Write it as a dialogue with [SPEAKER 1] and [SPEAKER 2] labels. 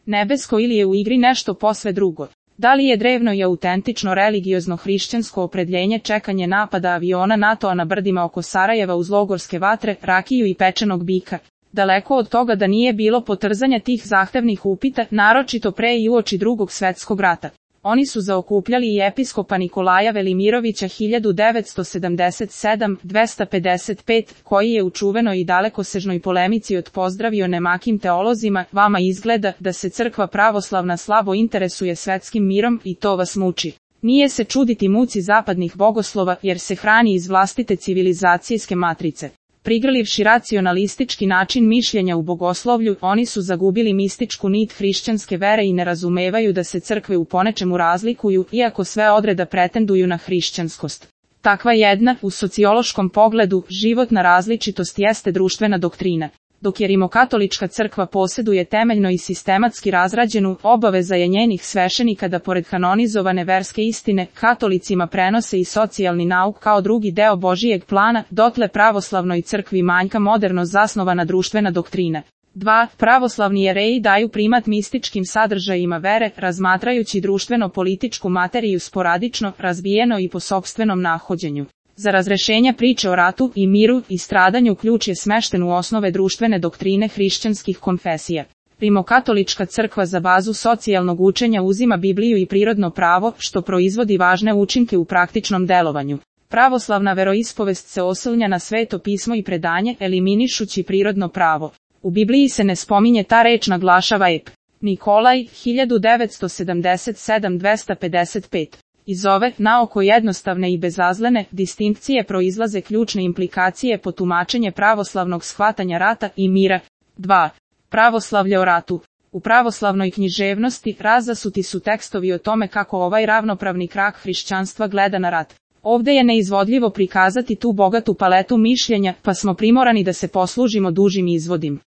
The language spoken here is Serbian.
[SPEAKER 1] nebesko ili je u igri nešto posve drugo? Da li je drevno i autentično religiozno hrišćansko opredjeljenje čekanje napada aviona NATO-a na brdima oko Sarajeva uz logorske vatre, rakiju i pečenog bika? Daleko od toga da nije bilo potrzanja tih zahtevnih upita, naročito pre i uoči Drugog svetskog rata. Oni su zaokupljali i episkopa Nikolaja Velimirovića 1977-255, koji je u čuvenoj i dalekosežnoj polemici odpozdravio nemakim teolozima, vama izgleda da se crkva pravoslavna slabo interesuje svetskim mirom i to vas muči. Nije se čuditi muci zapadnih bogoslova jer se hrani iz vlastite civilizacijske matrice. Prigrlivši racionalistički način mišljenja u bogoslovlju, oni su zagubili mističku nit hrišćanske vere i ne razumevaju da se crkve u ponečemu razlikuju, iako sve odreda pretenduju na hrišćanskost. Takva jedna, u sociološkom pogledu, životna različitost jeste društvena doktrina. Dok je rimokatolička crkva posjeduje temeljno i sistematski razrađenu, obaveza je njenih svešenika da pored kanonizovane verske istine, katolicima prenose i socijalni nauk kao drugi deo Božijeg plana, dotle pravoslavnoj crkvi manjka moderno zasnovana društvena doktrina. 2. Pravoslavni jereji daju primat mističkim sadržajima vere, razmatrajući društveno-političku materiju sporadično, razbijeno i po sopstvenom nahođenju. Za razrešenje priče o ratu i miru i stradanju ključ je smešten u osnove društvene doktrine hrišćanskih konfesija. Rimokatolička crkva za bazu socijalnog učenja uzima Bibliju i prirodno pravo, što proizvodi važne učinke u praktičnom delovanju. Pravoslavna veroispovest se oslanja na Sveto pismo i predanje, eliminišući prirodno pravo. U Bibliji se ne spominje ta reč, naglašava ep. Nikolaj, 1977-255. Iz ove, naoko jednostavne i bezazlene, distinkcije proizlaze ključne implikacije po tumačenje pravoslavnog shvatanja rata i mira. 2. Pravoslavlje o ratu. U pravoslavnoj književnosti razasuti su tekstovi o tome kako ovaj ravnopravni krak hrišćanstva gleda na rat. Ovde je neizvodljivo prikazati tu bogatu paletu mišljenja, pa smo primorani da se poslužimo dužim izvodim.